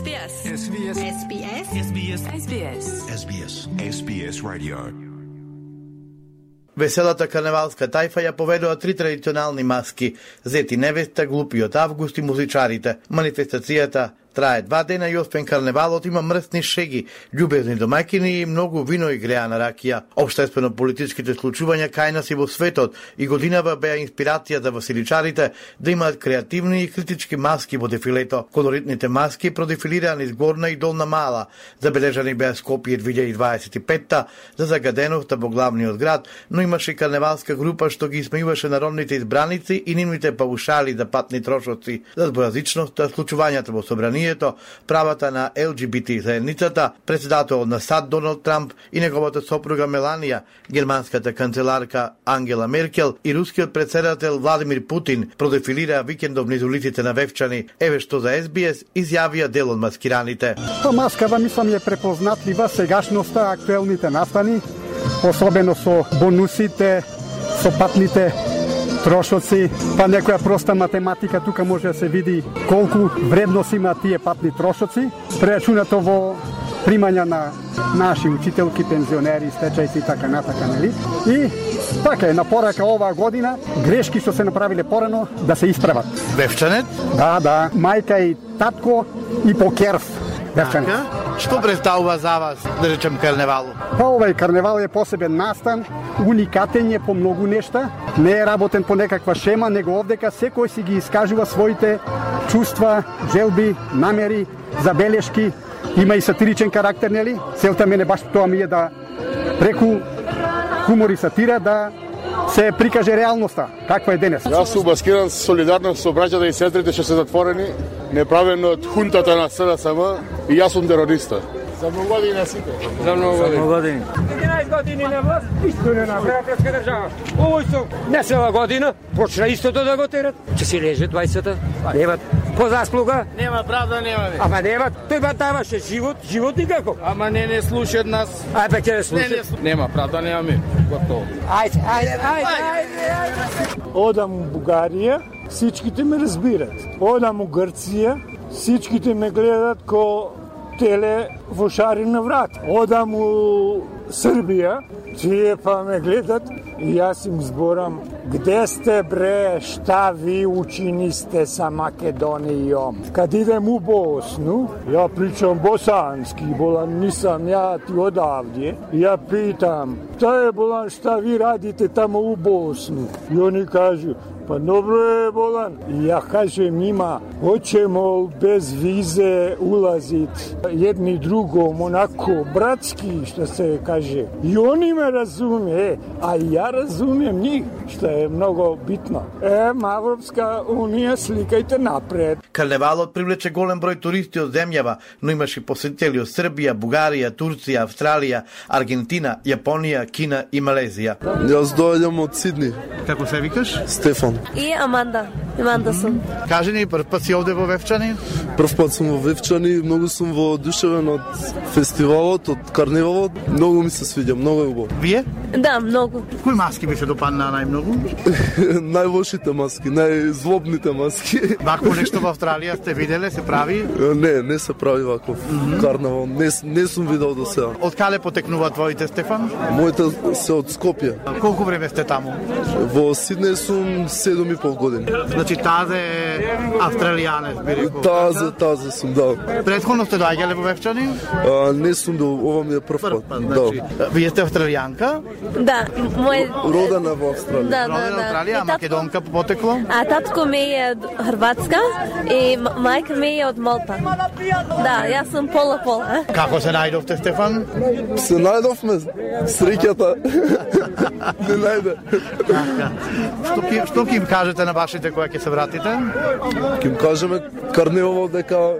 SBS. SBS. SBS. SBS. SBS. SBS. SBS Radio. Веселата карневалска тајфа ја поведува 3 традиционални маски: Зет и невеста, Глупиот август и музичарите. Манифестацијата трае 2 дена и освен карневалот има мрсни шеги, љубезни домаќини и многу вино и греана ракија. Општествено-политичките случувања кај нас и во светот и годинава беа инспирација за веселичарите да имаат креативни и критички маски во дефилето. Колоритните маски продефилираа низ Горна и Долна Мала. Забележани беа Скопје 2025-та за загаденоста во главниот град, но имаше карневалска група што ги исмејуваше народните избраници и нивните паушали за патни трошоци, за двојазичноста, случувањата во собранието, правата на ЛГБТ заедницата, председателот на САД Доналд Трамп и неговата сопруга Меланија, германската канцеларка Ангела Меркел и рускиот председател Владимир Путин продефилираа викендов низ улиците на Вевчани. Еве што за SBS изјавија дел од маскираните. Маскава мислам е препознатлива сегашноста, актуелните настани, особено со бонусите, со патните трошоци, па некоја проста математика тука може да се види колку вредност има тие патни трошоци, прерачунато во примања на наши учителки, пензионери, стечајци и така натака, нели? И така е, на порака оваа година, грешки што се направиле порано да се исправат. Вевчанет? Да, мајка и татко и покерв. Вевчанет. Што представува за вас, да речем, карневалот? Па овај карневал е посебен настан, уникатен е по многу нешта, не е работен по некаква шема, него овдека секој си ги искажува своите чувства, желби, намери, забелешки, има и сатиричен карактер, нели? Целта мене баш тоа ми е да преку хумор и сатира да се прикаже реалноста, каква е денес. Јас сум маскиран солидарност со браќата и сестрите што се затворени, неправен од хунтата на СДСМ и јас сум терориста. За многу години сите. За многу години. 11 години на власт, исто не направи претска држава. Овој со не села година, почна истото да го терат. Че си леже 20-та, немат по заслуга. Нема правда, нема. Ама немат, тој ба даваше живот никако. Ама не слушаат нас. Ајде ќе слушаат. Нема правда, нема ми. Готово. Ајде. Одам у Бугарија, сичките ме разбират. Одам у Грција, сичките ме гледат ко теле во шарина врат. Одам у Србија, тие па ме гледат и јас им зборам: где сте бре, шта ви учинисте са Македонијом? Кад идем у Босну, ја причам босански, болан нисам ја ти одавде, ја питам: та е болан, шта ви радите тамо у Босну? И они кажу: па добро е болан. И ја кажем има, hoćemo без визе улазит едни другом, онако братски, што се каже. И они ме разуме, а ја разумем нив, што е многу битно. Европска унија, сликајте напред. Карневалот привлече голем број туристи од земјава, но имаше посетители од Србија, Бугарија, Турција, Австралија, Аргентина, Јапонија, Кина и Малезија. Јас доаѓам од Сидни. Како се викаш? Стефан. И Аманда сум. Кажи ни, прв пат си овде во Вевчани? Прв пат сум во Вевчани, многу сум воодушевен од фестивалот, од карневалот. Многу ми се свиѓа, многу е убаво. Вие? Да, многу. Кои маски ви се допадна најмногу? Најлошите маски, најзлобните маски. Вако нешто во Австралија сте виделе, се прави? Не се прави ваков карнавал. Не сум видел до сега. Од каде потекнува твоите, Стефан? Моите се од Скопје. Колку време сте таму? Во Сиднеј сум 7,5 години. Значи тазе е австралијанец, би рекол. Тазе сум, да. Предходно сте доаѓале во Вевчани? Не сум ова ми е прв пат. Значи, вие сте австралијанка? Да, родена во Австралија. Да. Австралија, македонка по потекло? А татко ми е од Хрватска и мајка ми е од Малта. Да, јас сум пола. Како се најдовте, Стефан? Се најдовме, среќата. Не најде. Што ќе им кажете на вашите кои ќе се вратите? Ќе им кажеме карневалот дека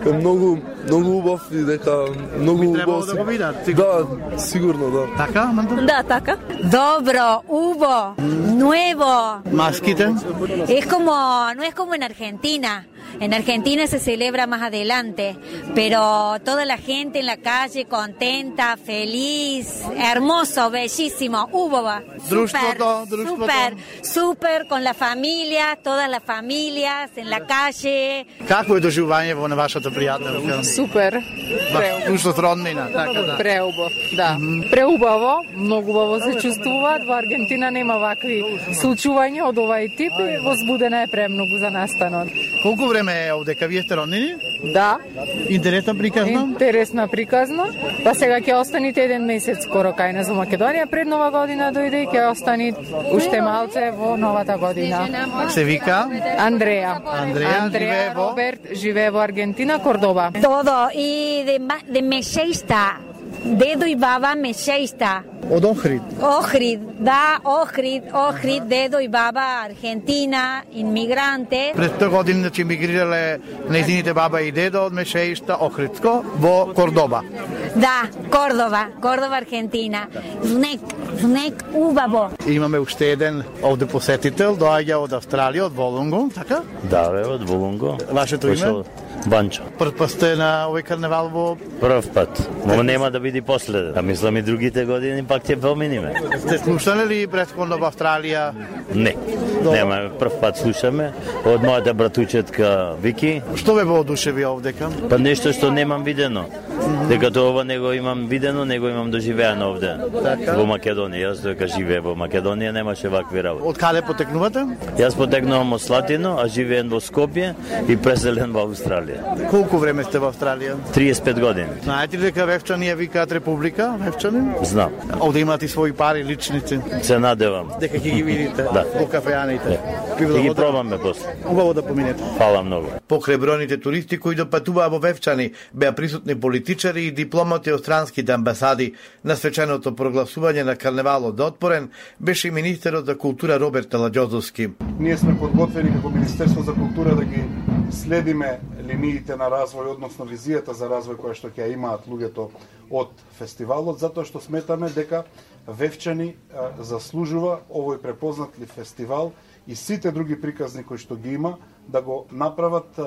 е многу убав и дека многу убав. Би требало да го видат. Да, сигурно, да. Така, Аманда? Да, така. Dobro, hubo, nuevo. Маските? No es como en Argentina. En Argentina se celebra más adelante, pero toda la gente en la calle contenta, feliz, hermoso, bellísimo. Super, con la familia, todas las familias en la calle. Какво е доживување на вашата пријателка? Супер. Ушто роднина, така да. Преубаво, да. Преубаво, многу убаво се чувствуваат. Во Аргентина нема вакви случувања од овај тип и возбудена е премногу за настанот. Колку време е овдека? Вие сте роднини? Да. Интересна приказна? Интересна приказна. Па сега ќе останите 1 месец скоро кај нас во Македонија, пред Нова година дојде и ќе остани уште малце во новата година. Се вика? Андреја. Андреја Роберт живее во Аргентина, Кордоба. Todo y de Mexeista. Dedo и баба Mexeista. Од Охрид. Охрид, Dedo и баба Аргентина, инмигранте. Пред 100 години значи мигрирале нејзините баба и дедо од Мешеишта, Охридско, во Кордоба. Да, Кордоба, Аргентина. Внек убаво. Имаме уште еден овде посетител, доаѓа од Австралија, од Волонго, така? Да, бе, од Волонго. Вашето име? Банчо. Прв пат сте на овој карневал во... Прв пат. Но нема да биде последен. А мислам и другите години пак ќе поминиме. Сте слушале ли претходно во Австралија? Не. Нема, прв пат слушаме од мојата братучетка Вики. Што ве воодушеви овдека? Па нешто што немам видено. Дека ова не го имам видено, не го имам доживеано овде. Така? Во Македонија, јас дека живеев во Македонија, немаше вакви работи. Од каде потекнувате? Јас потекнувам од Слатино, а живеем во Скопје и преселен во Австралија. Колку време сте во Австралија? 35 години. Знаете ли дека Вевчани ја викаат Република? Вевчани? Знам. Овде имате и своји пари личници. Се надевам. Дека ќе ги видите во кафеаните. Ќе ги пробаме после. Убаво да поминете. Фала многу. Покрај бројните туристи кои допатуваа во Вевчани, беа присутни политичари и дипломати од странските амбасади. На свеченото прогласување на карневалот за отворен беше и министерот за култура Роберт Аладжозовски. Ние сме подготвени како Министерство за култура да ги следиме линиите на развој, односно визијата за развој која што ќе имаат луѓето од фестивалот, затоа што сметаме дека Вевчани заслужува овој препознатлив фестивал и сите други приказни кои што ги има да го направат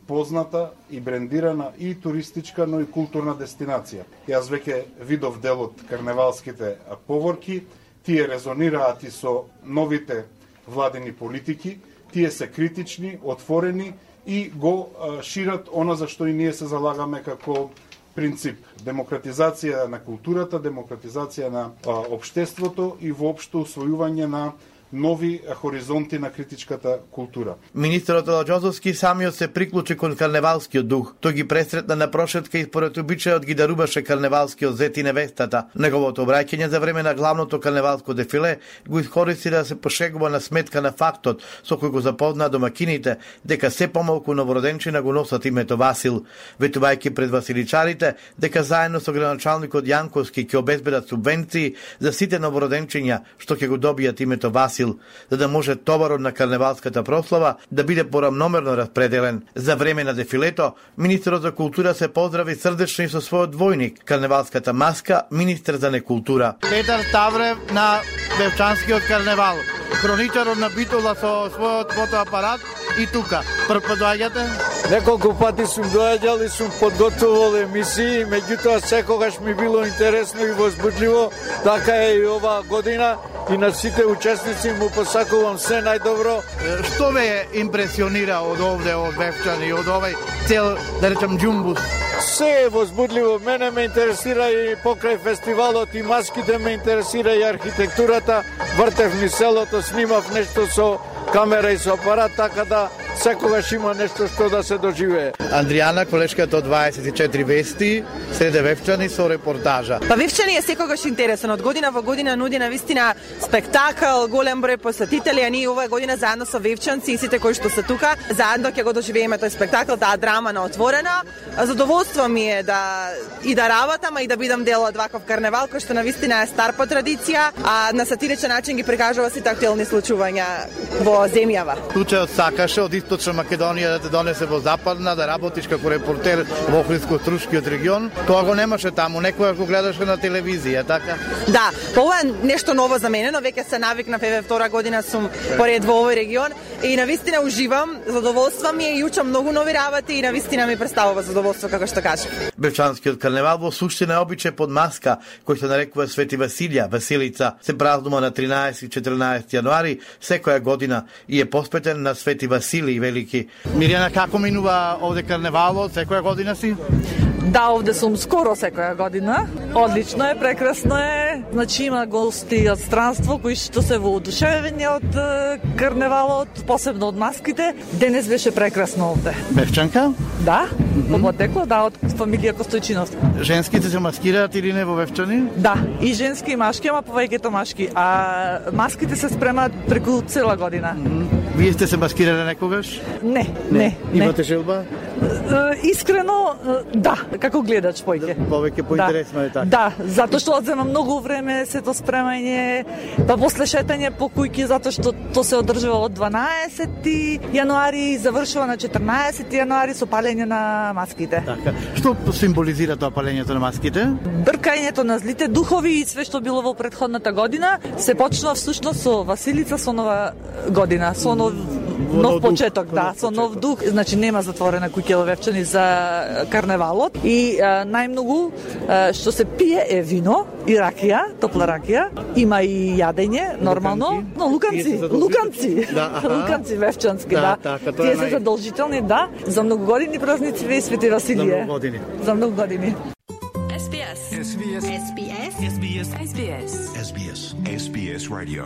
позната и брендирана и туристичка, но и културна дестинација. Јас веќе видов дел од карневалските поворки, тие резонираат и со новите владени политики, тие се критични, отворени и го шират она за што и ние се залагаме како принцип. Демократизација на културата, демократизација на општеството и воопшто усвојување на нови хоризонти на критичката култура. Министерот Аладжозовски самиот се приклучи кон карневалскиот дух. Тој ги пресретна на прошетка и според обичајот ги даруваше карневалскиот зет и невестата. Неговото обраќање за време на главното карневалско дефиле го искористи да се пошегува на сметка на фактот со кој го запозна домакините дека се помалку новороденчина го носат името Васил, ветувајќи пред василичарите дека заедно со граначалникот Јанковски ќе обезбедат субвенции за сите новороденчиња што ќе го добијат името Васил, за да може товарот на карневалската прослава да биде порамномерно распределен. За време на дефилето, министерот за култура се поздрави срдечно и со својот двојник, карневалската маска, министер за некултура. Петар Ставрев на Вевчанскиот карневал, хроничарот на Битола со својот фотоапарат и тука. Прв пат доаѓате? Неколку пати сум доаѓал и сум подготвувал емисии, меѓутоа секогаш ми било интересно и возбудливо, така е и ова година. И на сите учесници му посакувам се најдобро. Што ве импресионира од овде, од Вевчани, од овој цел, да речам, џумбус? Се е возбудливо. Мене ме интересира и покрај фестивалот и маските, ме интересира и архитектурата. Вртев ни селото, снимав нешто со камера и со апарат, така да секогаш има нешто што да се доживее. Андријана, колешката од 24 вести, среде Вевчани со репортажа. Па Вевчани е секогаш интересен. Од година во година нуди навистина спектакл, голем број посетители, а ние оваа година заедно со вевчанци и сите кои што се тука, заедно ќе го доживееме тој спектакл, таа драма на отворена. Задоволство ми е да работам, а и да бидам дел од ваков карневал кој што навистина е стар по традиција, а на сатиричен начин ги прикажува сите актуелни случувања во земјава. Случајот сакаше од точно Македонија да те донесе во Западна, да работиш како репортер во Охридско-Струшкиот регион, тоа го немаше таму, некоја го гледаше на телевизија, така? Да, ова е нешто ново за мене, но веќе се навикнав, еве втора година сум поред во овој регион и навистина уживам, задоволство ми е и учам многу нови работи и навистина ми представува задоволство како што кажав. Бевчанскиот карневал во суштина е обичај под маска, кој се нарекува Свети Василија, Василица, се празнува на 13 и 14 јануари секоја година и е посветен на Свети Василий Велики. Мирјана, како минува овде карневалот, секоја година си? Да, овде сум скоро секоја година. Одлично е, прекрасно е. Значи има гости од странство кои што се воодушевени од карневалот, посебно од маските. Денес беше прекрасно овде. Бевчанка? Да, потекло, да, од фамилија Костојчинов. Женските се маскираат или не во Вевчани? Да, и женски и машки, ама повеќето машки. А маските се спремаат преку цела година. Вие сте се маскирале некогаш? Не. Имате желба? Искрено, да, како гледач поќе. Повеќе поинтересно е така. Да, затоа што одзема многу време сето спремање, па после шетање по кујки, затоа што то се одржува од 12 јануари и завршува на 14 јануари со палење на маските. Така. Што символизира тоа палењето на маските? Бркањето на злите духови и све што било во претходната година се почнува всушност со Василица, со нова година, со нов почеток, да, со нов дух. Значи нема затворена куќа во Вевчани за карневалот и најмногу што се пие е вино и ракија, топла ракија. Има и јадење, нормално, но луканци вевчански, да. Тие се задолжителни, да, за многогодини празници и Свети Василие. За многу години. SBS Radio